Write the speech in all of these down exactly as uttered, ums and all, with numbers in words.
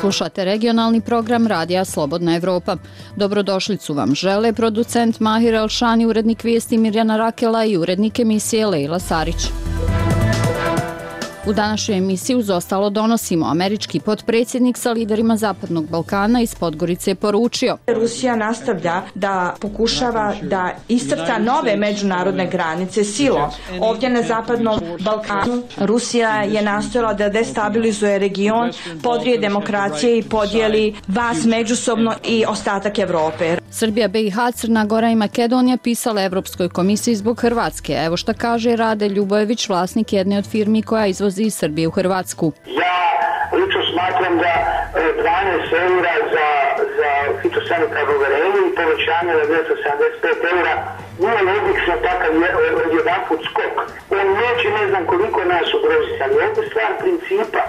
Slušate regionalni program Radija Slobodna Evropa. Dobrodošlicu vam žele producent Mahir Elšani, urednik vijesti Mirjana Rakela i urednik emisije Lejla Sarić. U današnjoj emisiji uz ostalo donosimo američki potpredsjednik sa liderima Zapadnog Balkana iz Podgorice je poručio: Rusija nastavlja da pokušava da iscrta nove međunarodne granice silom. Ovdje na Zapadnom Balkanu Rusija je nastojala da destabilizuje region, podrije demokracije i podijeli vas međusobno i ostatak Evrope. Srbija, B i H, Crna Gora i Makedonija pisale Evropskoj komisiji zbog Hrvatske. Evo šta kaže Rade Ljubojević, vlasnik jedne od firmi koja izvozi iz Srbije u Hrvatsku. Ja lično smatram da dvanaest eura za, za fitosanitarno uverenje i povećanje na dvjesto sedamdeset pet eura nije logično takav jedanput skok. On neće ne znam koliko nas ugroziti, ali ovdje stvar principa.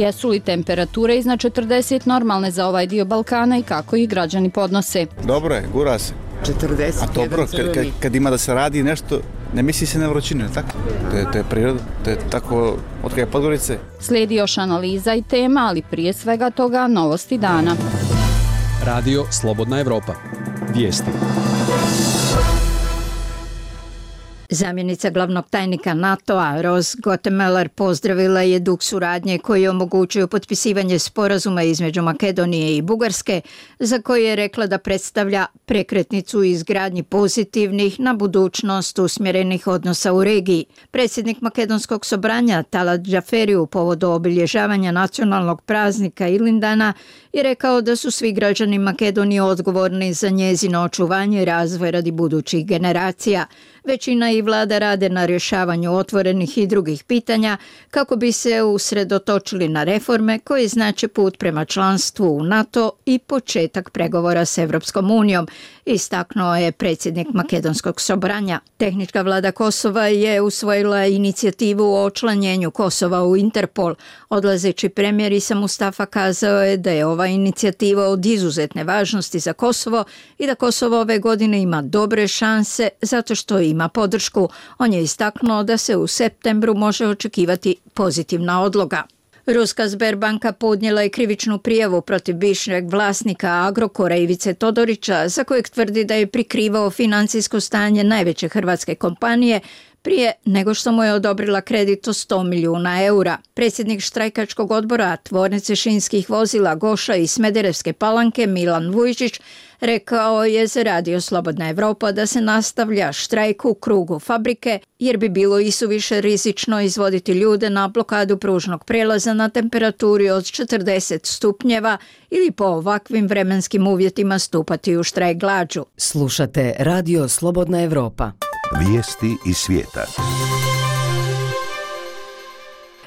Jesu li temperature iznad četrdeset normalne za ovaj dio Balkana i kako ih građani podnose? Dobro je, gura se. četrdeset. A dobro, kad, kad, kad ima da se radi nešto, ne misli se na vrućinu, tako? To je, to je priroda, to je tako od kada je Podgorice. Slijedi još analiza i tema, ali prije svega toga novosti dana. Radio Slobodna Evropa. Vijesti. Zamjenica glavnog tajnika NATO-a Ros Gottemeller pozdravila je duh suradnje koji omogućuju potpisivanje sporazuma između Makedonije i Bugarske, za koje je rekla da predstavlja prekretnicu u izgradnji pozitivnih na budućnost usmjerenih odnosa u regiji. Predsjednik Makedonskog sobranja Talat Džaferi u povodu obilježavanja nacionalnog praznika Ilindana je rekao da su svi građani Makedonije odgovorni za njezino očuvanje i razvoj radi budućih generacija. Većina i vlada rade na rješavanju otvorenih i drugih pitanja kako bi se usredotočili na reforme koje znače put prema članstvu u NATO i početak pregovora s Evropskom unijom, istaknuo je predsjednik Makedonskog sobranja. Tehnička vlada Kosova je usvojila inicijativu o očlanjenju Kosova u Interpol. Odlazeći premijer Isa Mustafa kazao je da je ova inicijativa od izuzetne važnosti za Kosovo i da Kosovo ove godine ima dobre šanse zato što ima podršku. On je istaknuo da se u septembru može očekivati pozitivna odluka. Ruska Sberbanka podnijela je krivičnu prijavu protiv bivšeg vlasnika Agrokora Ivice Todorića, za kojeg tvrdi da je prikrivao financijsko stanje najveće hrvatske kompanije prije nego što mu je odobrila kredit od sto milijuna eura. Predsjednik štrajkačkog odbora tvornice šinskih vozila Goša i Smederevske Palanke Milan Vujčić rekao je za Radio Slobodna Evropa da se nastavlja štrajk u krugu fabrike jer bi bilo isuviše rizično izvoditi ljude na blokadu pružnog prelaza na temperaturi od četrdeset stupnjeva ili po ovakvim vremenskim uvjetima stupati u štrajk glađu. Slušate Radio Slobodna Evropa. Vijesti iz svijeta.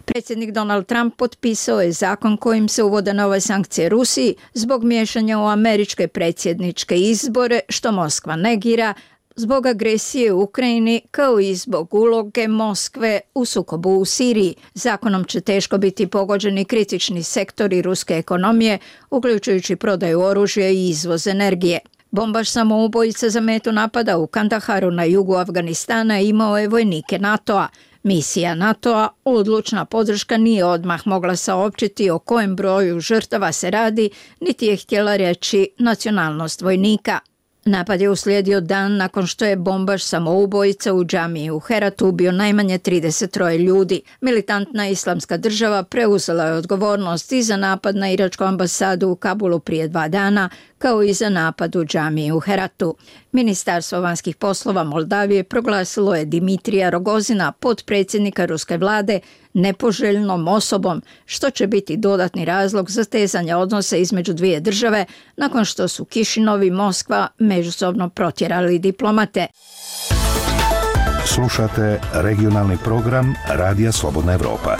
Predsjednik Donald Trump potpisao je zakon kojim se uvode nove sankcije Rusiji zbog miješanja u američke predsjedničke izbore, što Moskva negira, zbog agresije u Ukrajini kao i zbog uloge Moskve u sukobu u Siriji. Zakonom će teško biti pogođeni kritični sektori ruske ekonomije, uključujući prodaju oružja i izvoz energije. Bombaš samoubojica za metu napada u Kandaharu na jugu Afganistana imao je vojnike NATO-a. Misija NATO-a, odlučna podrška, nije odmah mogla saopćiti o kojem broju žrtava se radi, niti je htjela reći nacionalnost vojnika. Napad je uslijedio dan nakon što je bombaš samoubojica u džamiji u Heratu ubio najmanje trideset troje ljudi. Militantna islamska država preuzela je odgovornost i za napad na iračku ambasadu u Kabulu prije dva dana, kao i za napad u džamiji u Heratu. Ministarstvo vanjskih poslova Moldavije proglasilo je Dimitrija Rogozina, potpredsjednika ruske vlade, nepoželjnom osobom, što će biti dodatni razlog za stezanje odnosa između dvije države nakon što su Kišinov i Moskva međusobno protjerali diplomate. Slušate regionalni program Radija Slobodna Evropa.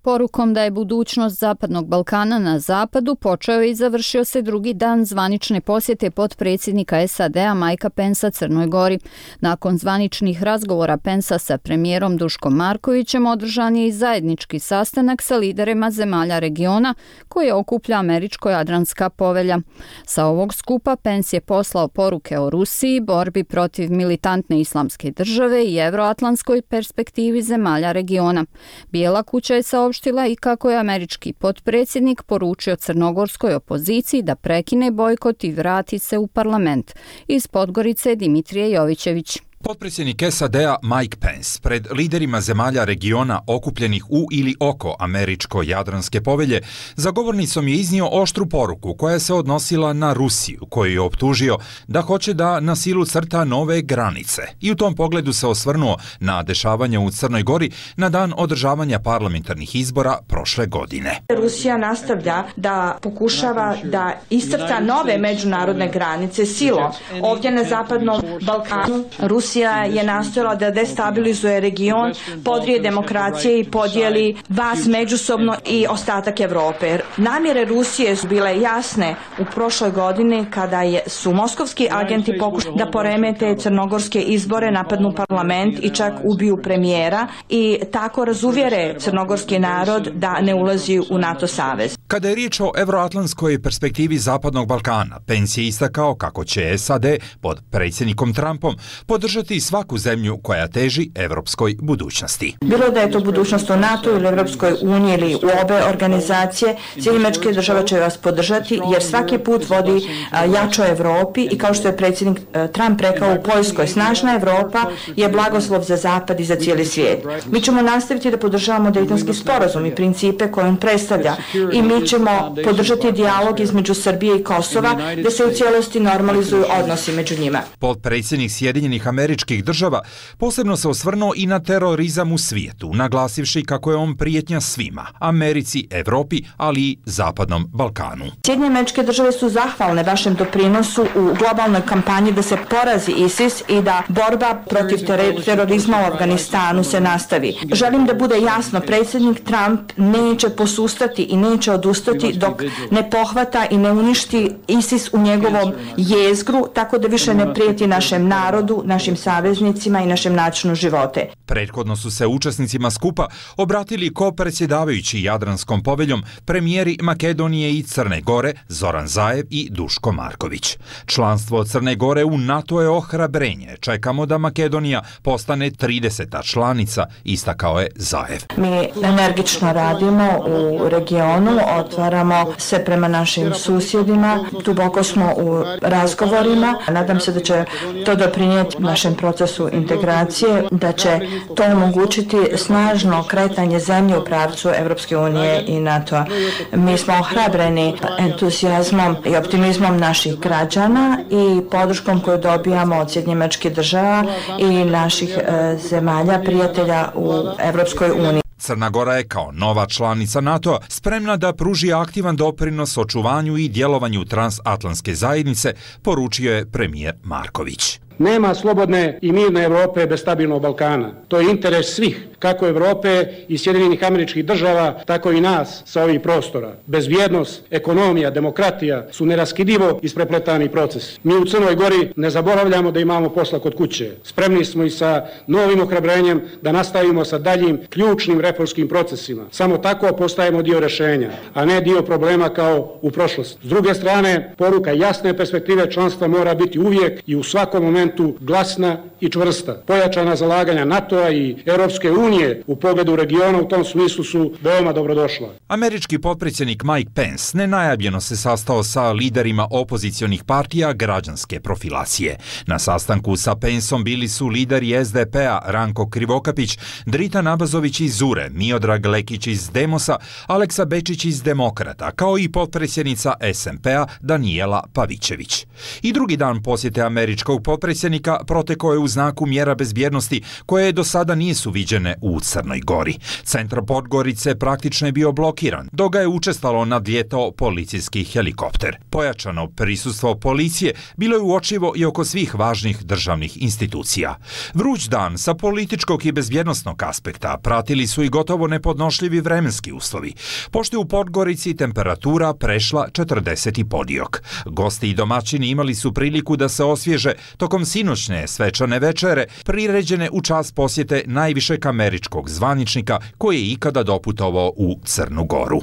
Porukom da je budućnost Zapadnog Balkana na zapadu počeo i završio se drugi dan zvanične posjete potpredsjednika S A D-a Mikea Pensa Crnoj Gori. Nakon zvaničnih razgovora Pensa sa premijerom Duškom Markovićem održan je i zajednički sastanak sa liderima zemalja regiona koje okuplja Američko-Jadranska povelja. Sa ovog skupa Pence je poslao poruke o Rusiji, borbi protiv militantne islamske države i evroatlantskoj perspektivi zemalja regiona. Bijela kuća je saopštila saopštila i kako je američki potpredsjednik poručio crnogorskoj opoziciji da prekine bojkot i vrati se u parlament. Iz Podgorice Dimitrije Jovićević. Potpredsjednik S A D-a Mike Pence pred liderima zemalja regiona okupljenih u ili oko Američko-Jadranske povelje za govornicom je iznio oštru poruku koja se odnosila na Rusiju, koju je optužio da hoće da na silu crta nove granice. I u tom pogledu se osvrnuo na dešavanja u Crnoj Gori na dan održavanja parlamentarnih izbora prošle godine. Rusija nastavlja da pokušava da iscrta nove međunarodne granice silom. Ovdje na Zapadnom Balkanu Rusija Rusija je nastojala da destabilizuje region, podrije demokracije i podijeli vas međusobno i ostatak Evrope. Namjere Rusije su bile jasne u prošloj godini kada je, su moskovski agenti pokušali da poremete crnogorske izbore, napadnu parlament i čak ubiju premijera i tako razuvjere crnogorski narod da ne ulazi u NATO savez. Kada je riječ o evroatlantskoj perspektivi Zapadnog Balkana, Pence je istakao kako će S A D pod predsjednikom Trumpom podržati svaku zemlju koja teži evropskoj budućnosti. Bilo da je to budućnost u NATO ili Evropskoj uniji ili u obe organizacije, Sjedinjene Američke Države će vas podržati jer svaki put vodi jačoj Evropi i kao što je predsjednik Trump rekao u Poljskoj, snažna Evropa je blagoslov za Zapad i za cijeli svijet. Mi ćemo nastaviti da podržavamo Dejtonski sporazum i principe koje on predstavlja i mi ćemo podržati dijalog između Srbije i Kosova da se u cijelosti normalizuju odnosi među njima. Potpredsjednik Sjedinjenih Američkih Država posebno se osvrnuo i na terorizam u svijetu, naglasivši kako je on prijetnja svima, Americi, Evropi, ali i Zapadnom Balkanu. Sjedinjene Američke Države su zahvalne vašem doprinosu u globalnoj kampanji da se porazi ISIS i da borba protiv terorizma u Afganistanu se nastavi. Želim da bude jasno, predsjednik Trump neće posustati i neće odustati dok ne pohvata i ne uništi ISIS u njegovom jezgru, tako da više ne prijeti našem narodu, našim saveznicima i našem načinu živote. Prethodno su se učesnicima skupa obratili ko-predsjedavajući Jadranskom poveljom premijeri Makedonije i Crne Gore Zoran Zaev i Duško Marković. Članstvo Crne Gore u NATO je ohrabrenje. Čekamo da Makedonija postane trideseta članica, istakao je Zaev. Mi energično radimo u regionu, otvaramo se prema našim susjedima, duboko smo u razgovorima. Nadam se da će to doprinijeti našem procesu integracije, da će to omogućiti snažno kretanje zemlje u pravcu Evropske unije i NATO-a. Mi smo ohrabreni entuzijazmom i optimizmom naših građana i podrškom koju dobijamo od Sjedinjenih Američkih Država i naših e, zemalja prijatelja u Evropskoj uniji. Crna Gora je kao nova članica NATO-a spremna da pruži aktivan doprinos očuvanju i djelovanju transatlantske zajednice, poručio je premijer Marković. Nema slobodne i mirne Evrope bez stabilnog Balkana. To je interes svih, kako Evrope i Sjedinjenih Američkih Država, tako i nas sa ovih prostora. Bezbjednost, ekonomija, demokratija su neraskidivo isprepletani proces. Mi u Crnoj Gori ne zaboravljamo da imamo posla kod kuće. Spremni smo i sa novim ohrabrenjem da nastavimo sa daljim ključnim reformskim procesima. Samo tako postajemo dio rješenja, a ne dio problema kao u prošlosti. S druge strane, poruka jasne perspektive članstva mora biti uvijek i u svakom momentu glasna i čvrsta. Pojačana zalaganja NATO-a i Europske unije u pogledu regiona u tom smislu su veoma dobrodošla. Američki potpredsjednik Mike Pence nenajavljeno se sastao sa liderima opozicionih partija građanske profilacije. Na sastanku sa Penceom bili su lideri S D P-a Ranko Krivokapić, Drita Nabazović iz Zure, Miodrag Lekić iz Demosa, Aleksa Bečić iz Demokrata, kao i potpredsjednica S M P-a Danijela Pavićević. I drugi dan posjete američkog potpredsjednika protekao je u znaku mjera bezbjednosti koje do sada nisu viđene u Crnoj Gori. Centar Podgorice praktično je bio blokiran, dok ga je učestalo nadlijetao policijski helikopter. Pojačano prisustvo policije bilo je uočivo i oko svih važnih državnih institucija. Vruć dan sa političkog i bezbjednosnog aspekta pratili su i gotovo nepodnošljivi vremenski uslovi, pošto je u Podgorici temperatura prešla četrdeset podiok. Gosti i domaćini imali su priliku da se osvježe tokom sinoćne svečane večere priređene u čast posjete najvišeg američkog zvaničnika koji je ikada doputovao u Crnu Goru.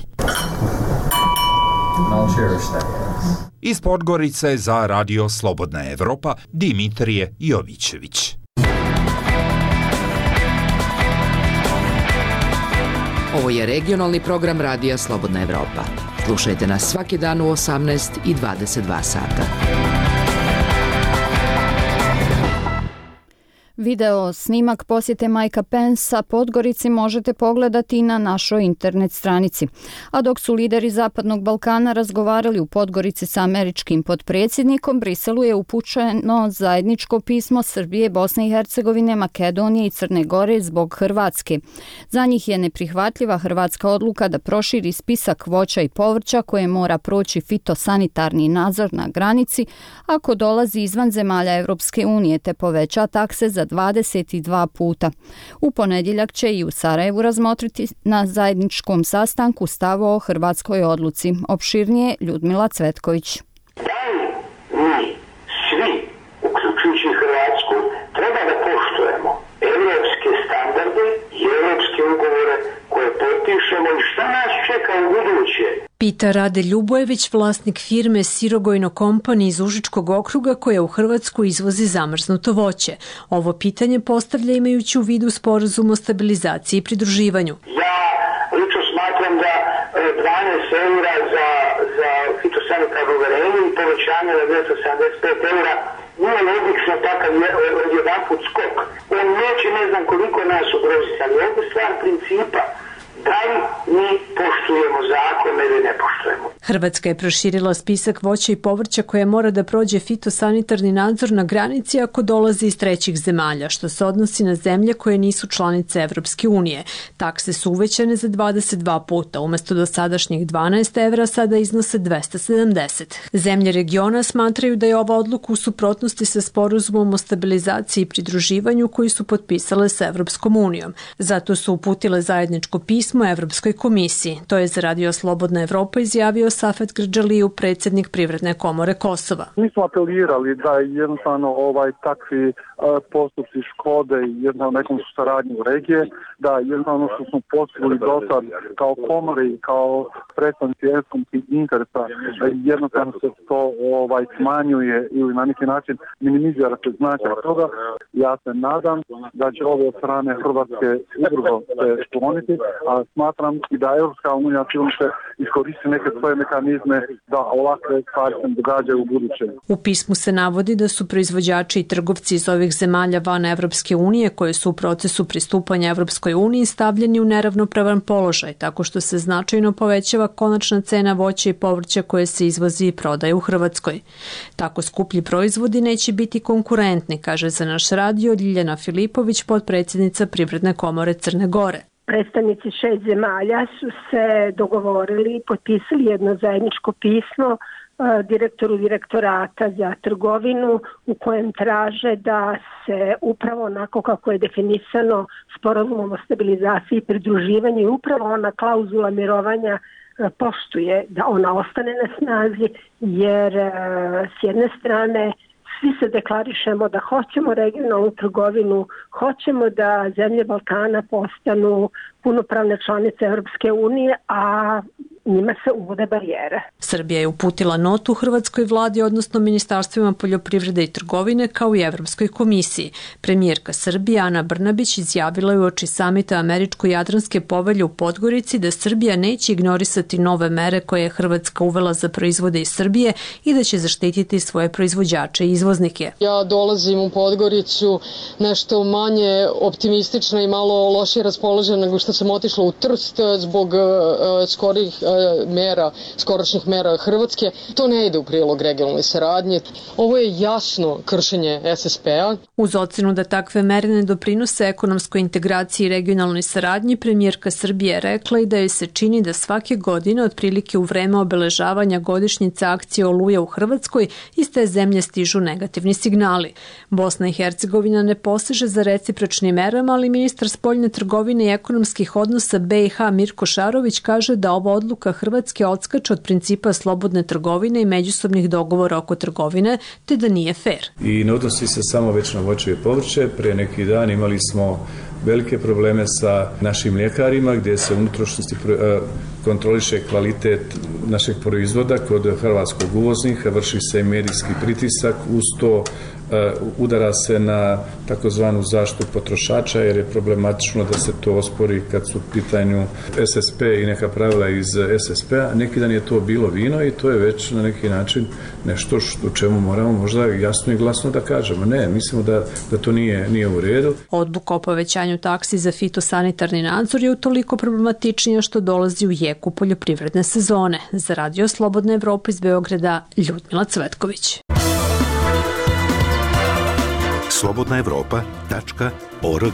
Iz Podgorice za Radio Slobodna Evropa Dimitrije Jovićević. Ovo Ovo je regionalni program Radija Slobodna Evropa. Slušajte nas svaki dan u osamnaest i dvadeset dva sata. Video snimak posjete Mikea Pensa Podgorici možete pogledati na našoj internet stranici. A dok su lideri Zapadnog Balkana razgovarali u Podgorici sa američkim potpredsjednikom, Briselu je upućeno zajedničko pismo Srbije, Bosne i Hercegovine, Makedonije i Crne Gore zbog Hrvatske. Za njih je neprihvatljiva hrvatska odluka da proširi spisak voća i povrća koje mora proći fitosanitarni nadzor na granici ako dolazi izvan zemalja Europske unije, te poveća takse za dvadeset dva puta. U ponedjeljak će i u Sarajevu razmotriti na zajedničkom sastanku stav o hrvatskoj odluci. Opširnije Ljudmila Cvetković. Da li mi svi, uključujući Hrvatsku, treba da poštujemo evropske standarde i evropske ugovore koje potpišemo i šta nas čeka u buduće? Pita Rade Ljubojević, vlasnik firme Sirogojno Company iz Užičkog okruga koja u Hrvatsku izvozi zamrznuto voće. Ovo pitanje postavlja imajući u vidu sporazum o stabilizaciji i pridruživanju. Ja lično smatram da dvanaest eura za, za fitosanitarno uverenje i povećanje na dvjesto sedamdeset pet eura nije logično takav jedan put skok. On neće ne znam koliko nas ugroziti, ali ovdje stvar principa. Da li mi poštujemo zakone ili ne poštujemo? Hrvatska je proširila spisak voća i povrća koje mora da prođe fitosanitarni nadzor na granici ako dolazi iz trećih zemalja, što se odnosi na zemlje koje nisu članice Evropske unije. Takse su uvećane za dvadeset dva puta, umjesto dosadašnjih dvanaest evra sada iznose dvesta sedamdeset. Zemlje regiona smatraju da je ova odluka u suprotnosti sa sporazumom o stabilizaciji i pridruživanju koji su potpisale sa Evropskom unijom. Zato su uputile zajedničko pismo Evropskoj komisiji. To je za Radio Slobodna Evropa izjavio Safet Grđaliju, predsjednik Privredne komore Kosova. Mi smo apelirali da jednostavno ovaj takvi postupci škode i jednostavno nekom saradnju u regije, da jednostavno što smo postigli do sad kao komore i kao predstavnici ekonomskih interesa, jednostavno se to ovaj smanjuje ili na neki način minimizira se značaj toga. Ja se nadam da će ove strane Hrvatske ubrzo se skloniti, a smatram i da Europska unija sigurno će iskoristiti neke svoje mehanizme da ovakve stvari se događaju u buduće. U pismu se navodi da su proizvođači i trgovci iz ovih zemalja van Evropske unije koje su u procesu pristupanja Evropskoj uniji stavljeni u neravnopravan položaj, tako što se značajno povećava konačna cena voća i povrća koje se izvozi i prodaje u Hrvatskoj. Tako skuplji proizvodi neće biti konkurentni, kaže za naš radio Ljiljana Filipović, potpredsjednica Privredne komore Crne Gore. Predstavnici šest zemalja su se dogovorili i potpisali jedno zajedničko pismo direktoru direktorata za trgovinu u kojem traže da se upravo onako kako je definisano sporazumom o stabilizaciji i pridruživanju i upravo ona klauzula mirovanja poštuje, da ona ostane na snazi, jer s jedne strane svi se deklarišemo da hoćemo regionalnu trgovinu, hoćemo da zemlje Balkana postanu punopravne članice Europske unije, a njima se uvode barijere. Srbija je uputila notu hrvatskoj vladi, odnosno ministarstvima poljoprivrede i trgovine, kao i Evropskoj komisiji. Premijerka Srbije Ana Brnabić izjavila je uoči samita Američko-Jadranske povelje u Podgorici da Srbija neće ignorisati nove mere koje je Hrvatska uvela za proizvode iz Srbije i da će zaštititi svoje proizvođače i izvoznike. Ja dolazim u Podgoricu nešto manje optimistična i malo lošije raspoložena nego što sam otišla u Trst zbog uh, skorih uh, mera, skoročnih mera Hrvatske. To ne ide u prilog regionalne saradnje. Ovo je jasno kršenje S S P-a. Uz ocenu da takve mere ne doprinose ekonomskoj integraciji i regionalnoj saradnji, premijerka Srbije je rekla i da joj se čini da svake godine, otprilike u vreme obeležavanja godišnjice akcije Oluja u Hrvatskoj, iz te zemlje stižu negativni signali. Bosna i Hercegovina ne poseže za recipročnim merama, ali ministar spoljne trgovine i ekonomskih odnosa B i H Mirko Šarović kaže da ova odluka Hrvatske odskače od principa slobodne trgovine i međusobnih dogovora oko trgovine, te da nije fair. I ne odnosi se samo već na voće i povrće. Prije neki dan imali smo velike probleme sa našim mljekarima gdje se unutrašnjosti kontroliše kvalitet našeg proizvoda kod hrvatskog uvoznika, vrši se medijski pritisak, uz to udara se na takozvanu zaštitu potrošača jer je problematično da se to ospori kad su u pitanju S S P i neka pravila iz S S P-a. Neki dan je to bilo vino i to je već na neki način nešto što, o čemu moramo možda jasno i glasno da kažemo. Ne, mislimo da, da to nije, nije u redu. Odluka o povećanju taksi za fitosanitarni nadzor je utoliko problematičnija što dolazi u jeku poljoprivredne sezone. Za Radio Slobodna Evropa iz Beograda, Ljudmila Cvetković. slobodna evropa tačka org.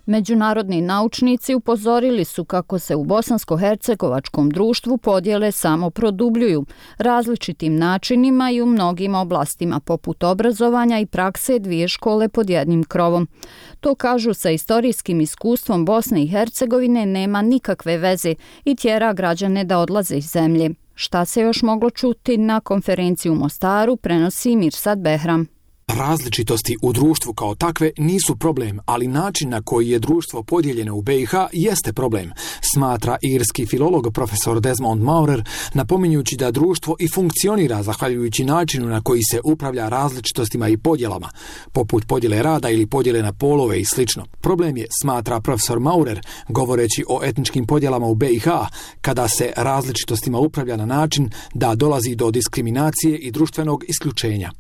Međunarodni naučnici upozorili su kako se u bosansko-hercegovačkom društvu podjele samo produbljuju različitim načinima i u mnogim oblastima poput obrazovanja i prakse dvije škole pod jednim krovom. To kažu sa istorijskim iskustvom Bosne i Hercegovine nema nikakve veze i tjera građane da odlaze iz zemlje. Šta se još moglo čuti na konferenciji u Mostaru, prenosi Mirsad Behram. Različitosti u društvu kao takve nisu problem, ali način na koji je društvo podijeljeno u B i H jeste problem, smatra irski filolog profesor Desmond Maurer, napominjući da društvo i funkcionira zahvaljujući načinu na koji se upravlja različitostima i podjelama, poput podjele rada ili podjele na polove i sl. Problem je, smatra profesor Maurer, govoreći o etničkim podjelama u B i H, kada se različitostima upravlja na način da dolazi do diskriminacije i društvenog isključenja.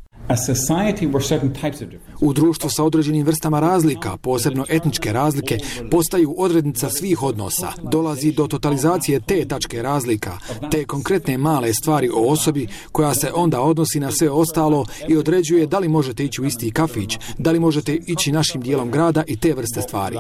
U društvu sa određenim vrstama razlika, posebno etničke razlike, postaju odrednica svih odnosa. Dolazi do totalizacije te tačke razlika, te konkretne male stvari o osobi koja se onda odnosi na sve ostalo i određuje da li možete ići u isti kafić, da li možete ići našim dijelom grada i te vrste stvari.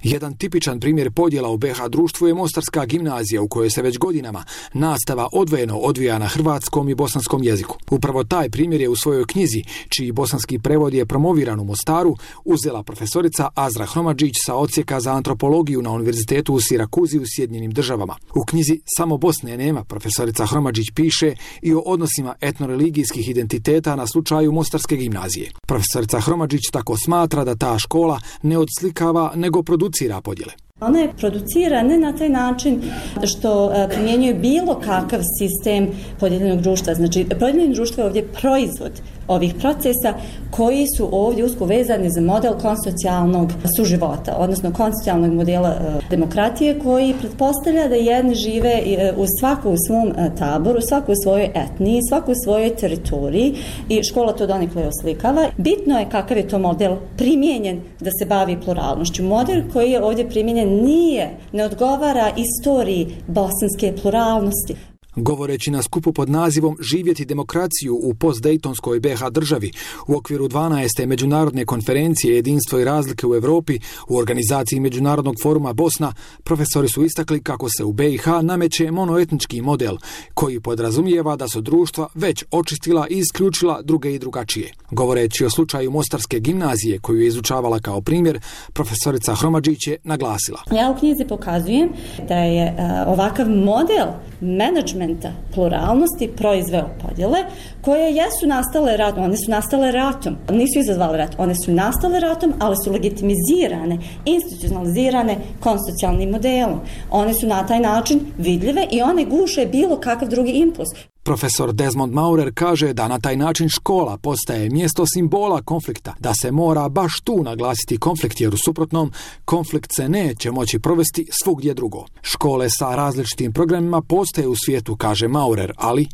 Jedan tipičan primjer podjela u B i H društvu je Mostarska gimnazija u kojoj se već godinama nastava odvojeno odvija na hrvatskom i bosanskom jeziku. Upravo taj primjer je u svojoj knjizi, čiji bosanski prevod je promoviran u Mostaru, uzela profesorica Azra Hromadžić sa odsjeka za antropologiju na Univerzitetu u Sirakuzi u Sjedinjenim Državama. U knjizi Samo Bosne nema profesorica Hromadžić piše i o odnosima etnoreligijskih identiteta na slučaju Mostarske gimnazije. Profesorica Hromadžić tako smatra da ta škola ne odslikava nego producira podjele. Ona je producira ne na taj način što primjenjuje bilo kakav sistem podijeljenog društva. Znači, podijeljeno društvo je ovdje proizvod ovih procesa koji su ovdje usko vezani za model konsocijalnog suživota, odnosno konsocijalnog modela demokratije koji pretpostavlja da jedni žive u svaku u svom taboru, svaku u svojoj etniji, svaku u svojoj teritoriji i škola to donekle oslikava. Bitno je kakav je to model primijenjen da se bavi pluralnošću. Model koji je ovdje primijenjen nije, ne odgovara istoriji bosanske pluralnosti. Govoreći na skupu pod nazivom Živjeti demokraciju u postdejtonskoj B i H državi u okviru dvanaeste Međunarodne konferencije Jedinstvo i razlike u Europi u organizaciji Međunarodnog foruma Bosna, profesori su istakli kako se u B i H nameće monoetnički model koji podrazumijeva da su društva već očistila i isključila druge i drugačije. Govoreći o slučaju Mostarske gimnazije koju je izučavala kao primjer, profesorica Hromadžić je naglasila. Ja u knjizi pokazujem da je uh, ovakav model menadžmenta pluralnosti proizveo podjele koje jesu nastale ratom, one su nastale ratom, nisu izazvale rat, one su nastale ratom, ali su legitimizirane, institucionalizirane konsocijalnim modelom. One su na taj način vidljive i one guše bilo kakav drugi impuls. Profesor Desmond Maurer kaže da na taj način škola postaje mjesto simbola konflikta, da se mora baš tu naglasiti konflikt jer u suprotnom konflikt se neće moći provesti svugdje drugo. Škole sa različitim programima postoje u svijetu, kaže Maurer, ali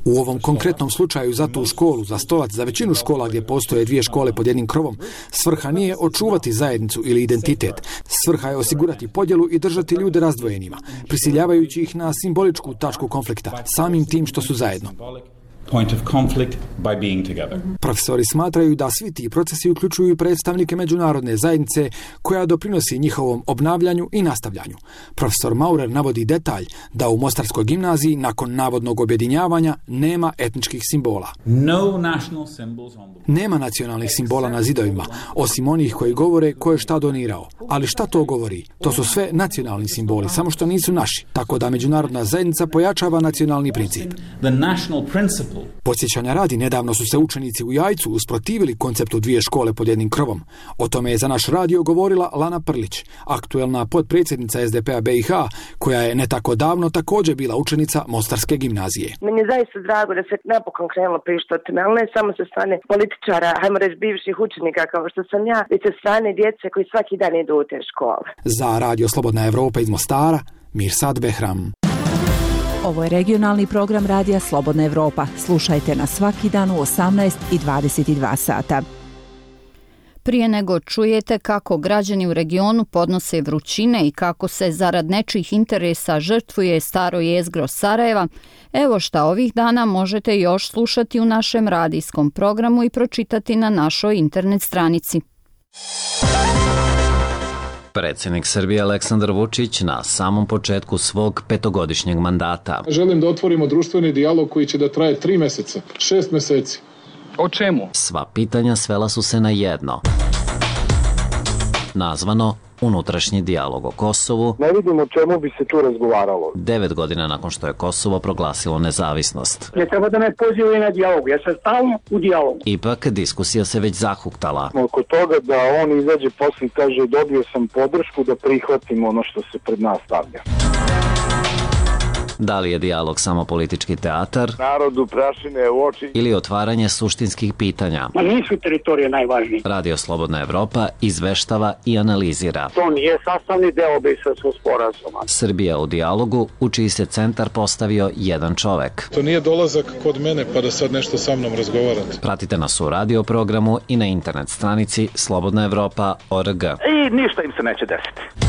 u ovom konkretnom slučaju za tu školu, za stolac, za većinu škola gdje postoje dvije škole pod jednim krovom, svrha nije očuvati zajednicu ili identitet. Svrha je osigurati podjelu i držati ljude razdvojenima, prisiljavajući ih na simboličku tačku konflikta, samim tim što su zajedno. Point of conflict by being together. Profesori smatraju da svi ti procesi uključuju predstavnike međunarodne zajednice koja doprinosi njihovom obnavljanju i nastavljanju. Profesor Maurer navodi detalj da u Mostarskoj gimnaziji nakon navodnog objedinjavanja nema etničkih simbola. No national symbols on the... Nema nacionalnih simbola na zidovima, osim onih koji govore ko je šta donirao. Ali šta to govori? To su sve nacionalni simboli, samo što nisu naši. Tako da međunarodna zajednica pojačava nacionalni princip. The national principle Podsjećanja radi, nedavno su se učenici u Jajcu usprotivili konceptu dvije škole pod jednim krovom. O tome je za naš radio govorila Lana Prlić, aktuelna potpredsjednica es de pe a be i ha, koja je ne tako davno također bila učenica Mostarske gimnazije. Meni je zaista drago da se napokon krenulo pričati o tome, ali ne samo sa strane političara, hajmo reći bivših učenika kao što sam ja, već sa strane djece koji svaki dan idu u te škole. Za Radio Slobodna Evropa iz Mostara, Mirsad Behram. Ovo je regionalni program Radija Slobodna Evropa. Slušajte nas svaki dan u osamnaest i dvadeset dva sata. Prije nego čujete kako građani u regionu podnose vrućine i kako se zarad nečijih interesa žrtvuje staro jezgro Sarajeva, evo šta ovih dana možete još slušati u našem radijskom programu i pročitati na našoj internet stranici. Predsjednik Srbije Aleksandar Vučić na samom početku svog petogodišnjeg mandata. Želim da otvorimo društveni dijalog koji će da traje tri meseca, šest meseci. O čemu? Sva pitanja svela su se na jedno. Nazvano unutrašnji dijalog o Kosovu. Ne vidim o čemu bi se tu razgovaralo. Devet godina nakon što je Kosovo proglasilo nezavisnost. Ne treba da me pozivaju na dijalog, ja sam stalno u dijalogu. Ipak diskusija se već zahuktala. Oko toga da on izađe posle i kaže dobio sam podršku da prihvatim ono što se pred nas stavlja. Da li je dijalog samo politički teatar? Narodu prašine u oči. Ili otvaranje suštinskih pitanja? Ma nisu teritorije najvažnije. Radio Slobodna Evropa izveštava i analizira. To nije sastavni deo Briselskog sporazuma. Srbija u dijalogu, u čiji se centar postavio jedan čovek. To nije dolazak kod mene pa da sad nešto sa mnom razgovarate. Pratite nas u radio programu i na internet stranici slobodna evropa tačka org. I ništa im se neće desiti.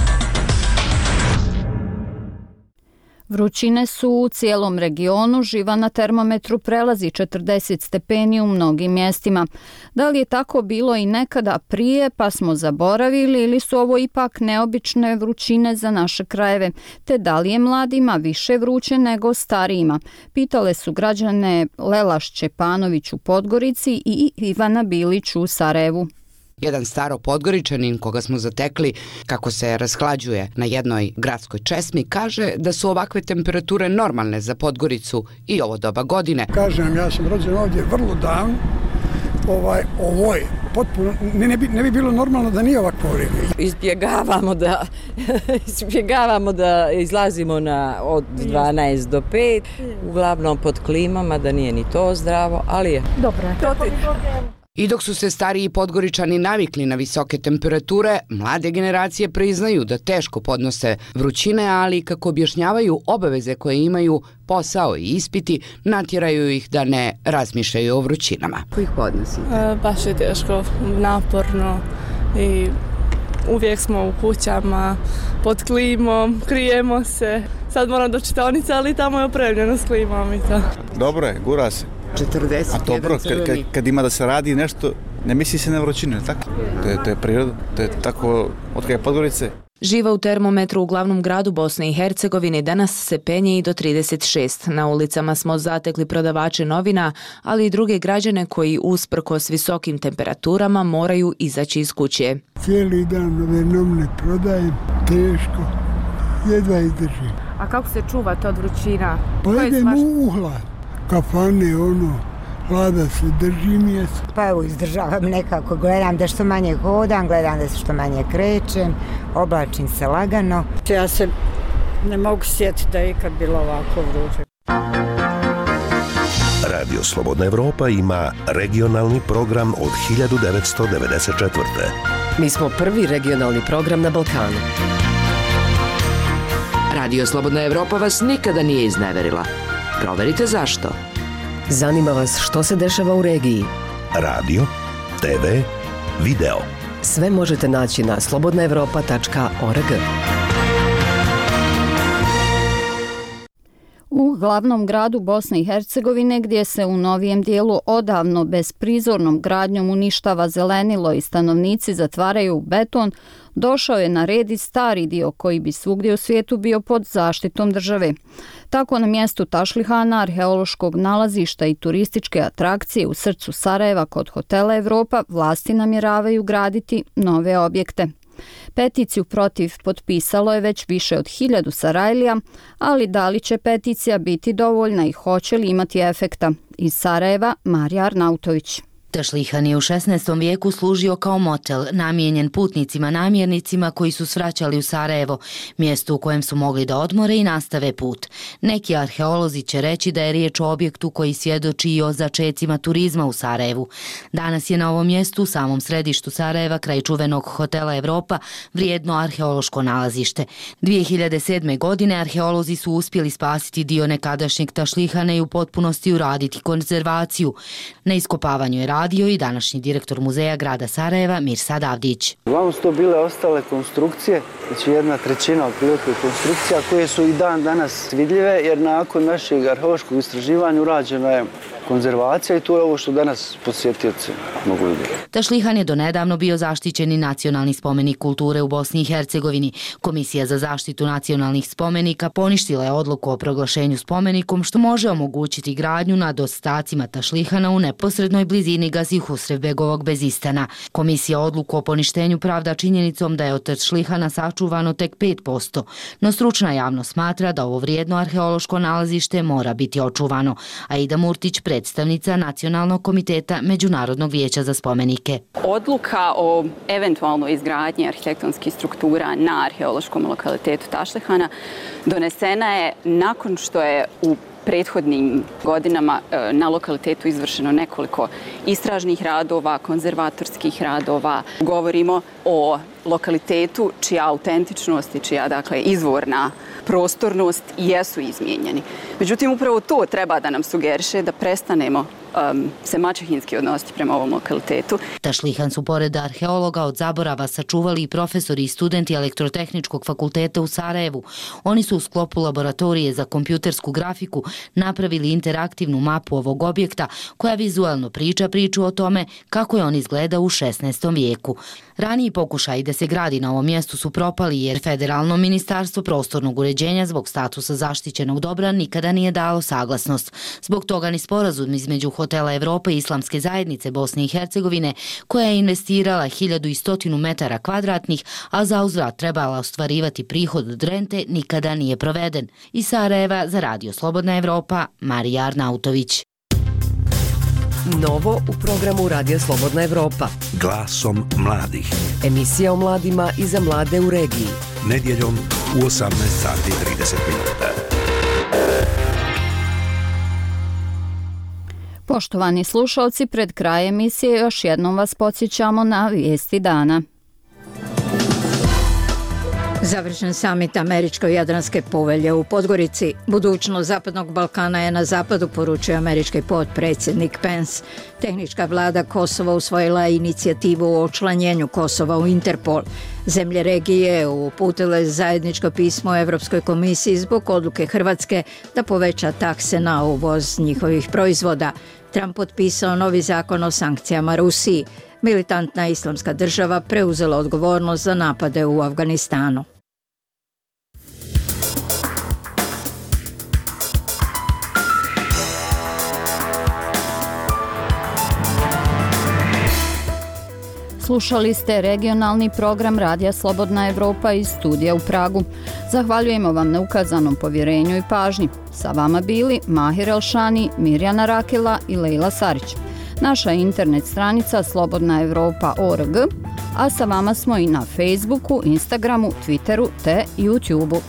Vrućine su u cijelom regionu, živa na termometru prelazi četrdeset stepeni u mnogim mjestima. Da li je tako bilo i nekada prije, pa smo zaboravili, ili su ovo ipak neobične vrućine za naše krajeve, te da li je mladima više vruće nego starijima? Pitale su građane Lela Šćepanović u Podgorici i Ivana Bilić u Sarajevu. Jedan staro Podgoričanin koga smo zatekli kako se rashlađuje na jednoj gradskoj česmi kaže da su ovakve temperature normalne za Podgoricu i ovo doba godine. Kažem, ja sam rođen ovdje vrlo davno, ovaj, ovo je potpuno, ne, ne, bi, ne bi bilo normalno da nije ovakvo vrijeme. Izbjegavamo da, izbjegavamo da izlazimo na od dvanaest do pet, uglavnom pod klimama, da nije ni to zdravo, ali je. Dobro. I dok su se stariji Podgoričani navikli na visoke temperature, mlade generacije priznaju da teško podnose vrućine, ali kako objašnjavaju obaveze koje imaju, posao i ispiti, natjeraju ih da ne razmišljaju o vrućinama. Ko ih podnosite? E, baš je teško, naporno i uvijek smo u kućama, pod klimom, krijemo se. Sad moram do čitaonice, ali tamo je opremljeno s klimom i to. Dobro je, gura se. četrdeset jedan A dobro, kad, kad, kad ima da se radi nešto, ne misli se na vrućinu, tako? To je, to je priroda, to je tako od kada je Podgorice. Živa u termometru u glavnom gradu Bosne i Hercegovine danas se penje i do trideset šest. Na ulicama smo zatekli prodavače novina, ali i druge građane koji usprkos visokim temperaturama moraju izaći iz kuće. Cijeli dan ove novine prodajem, teško, jedva izdržim. A kako se čuvate od vrućina? Pa idem u hlad, kafane, ono, hlada se drži mjesto. Pa evo, izdržavam nekako, gledam da što manje hodam, gledam da se što manje krećem, oblačim se lagano. Ja se ne mogu sjetiti da je ikad bilo ovako vruće. Radio Slobodna Evropa ima regionalni program od hiljadu devetsto devedeset četvrte. Mi smo prvi regionalni program na Balkanu. Radio Slobodna Evropa vas nikada nije izneverila. Proverite zašto. Zanima vas što se dešava u regiji. Radio, te ve, video. Sve možete naći na slobodna evropa tačka org. U glavnom gradu Bosne i Hercegovine, gdje se u novijem dijelu odavno bezprizornom gradnjom uništava zelenilo i stanovnici zatvaraju beton, došao je na red i stari dio koji bi svugdje u svijetu bio pod zaštitom države. Tako na mjestu Tašlihana, arheološkog nalazišta i turističke atrakcije u srcu Sarajeva kod hotela Evropa, vlasti namjeravaju graditi nove objekte. Peticiju protiv potpisalo je već više od hiljadu Sarajlija, ali da li će peticija biti dovoljna i hoće li imati efekta? Iz Sarajeva, Marija Arnautović. Tašlihan je u šesnaestom vijeku služio kao motel, namijenjen putnicima namjernicima koji su svraćali u Sarajevo, mjesto u kojem su mogli da odmore i nastave put. Neki arheolozi će reći da je riječ o objektu koji svjedoči i o začecima turizma u Sarajevu. Danas je na ovom mjestu, u samom središtu Sarajeva, kraj čuvenog hotela Evropa, vrijedno arheološko nalazište. dvije hiljade sedme. godine arheolozi su uspjeli spasiti dio nekadašnjeg Tašlihana i u potpunosti uraditi konzervaciju. Na iskopavanju je radio i današnji direktor muzeja grada Sarajeva Mirsad Avdić. Uglavnom su to bile ostale konstrukcije, znači jedna trećina otprilike konstrukcija koje su i dan danas vidljive, jer nakon našeg arheološkog istraživanja urađena je konzervacija i to je ovo što danas posjetioci mogu vidjeti. Tašlihan je donedavno bio zaštićeni nacionalni spomenik kulture u Bosni i Hercegovini. Komisija za zaštitu nacionalnih spomenika poništila je odluku o proglašenju spomenikom, što može omogućiti gradnju nad ostacima Tašlihana u neposrednoj blizini Gazi Husrevbegovog Bezistana. Komisija odluku o poništenju pravda činjenicom da je od Tašlihana sačuvano tek pet posto, no stručna javnost smatra da ovo vrijedno arheološko nalazište mora biti očuvano. Aida Murtić, predstavnica Nacionalnog komiteta Međunarodnog vijeća za spomenike. Odluka o eventualnoj izgradnji arhitektonskih struktura na arheološkom lokalitetu Tašlihana donesena je nakon što je u prethodnim godinama na lokalitetu izvršeno nekoliko istražnih radova, konzervatorskih radova. Govorimo o lokalitetu čija autentičnost i čija, dakle, izvorna prostornost jesu izmijenjeni. Međutim, upravo to treba da nam sugeriše da prestanemo um, se maćehinski odnositi prema ovom lokalitetu. Tašlihan su pored arheologa od zaborava sačuvali i profesori i studenti Elektrotehničkog fakulteta u Sarajevu. Oni su u sklopu laboratorije za kompjutersku grafiku napravili interaktivnu mapu ovog objekta koja vizualno priča priču o tome kako je on izgledao u šesnaestom vijeku. Raniji pokušaji da se gradi na ovom mjestu su propali jer Federalno ministarstvo prostornog uređenja zbog statusa zaštićenog dobra nikada nije dalo saglasnost. Zbog toga ni sporazum između Hotela Evropa i Islamske zajednice Bosne i Hercegovine, koja je investirala hiljadu i stotinu metara kvadratnih, a za uzvrat trebala ostvarivati prihod od rente, nikada nije proveden. Iz Sarajeva za Radio Slobodna Evropa, Marija Arnautović. Novo u programu Radio Slobodna Evropa. Glasom mladih. Emisija o mladima i za mlade u regiji. Nedjeljom u osamnaest sati i trideset minuta. Poštovani slušalci, pred kraj emisije još jednom vas podsjećamo na vijesti dana. Završen samit Američko-Jadranske povelje u Podgorici. Budućnost Zapadnog Balkana je na zapadu, poručuje američki potpredsjednik Pence. Tehnička vlada Kosova usvojila je inicijativu o učlanjenju Kosova u Interpol. Zemlje regije uputile zajedničko pismo Evropskoj komisiji zbog odluke Hrvatske da poveća takse na uvoz njihovih proizvoda. Trump potpisao novi zakon o sankcijama Rusiji. Militantna islamska država preuzela odgovornost za napade u Afganistanu. Slušali ste regionalni program Radija Slobodna Evropa iz studija u Pragu. Zahvaljujemo vam na ukazanom povjerenju i pažnji. Sa vama bili Mahir Elšani, Mirjana Rakela i Lejla Sarić. Naša internet stranica slobodna evropa tačka org, a sa vama smo i na Facebooku, Instagramu, Twitteru te YouTubeu.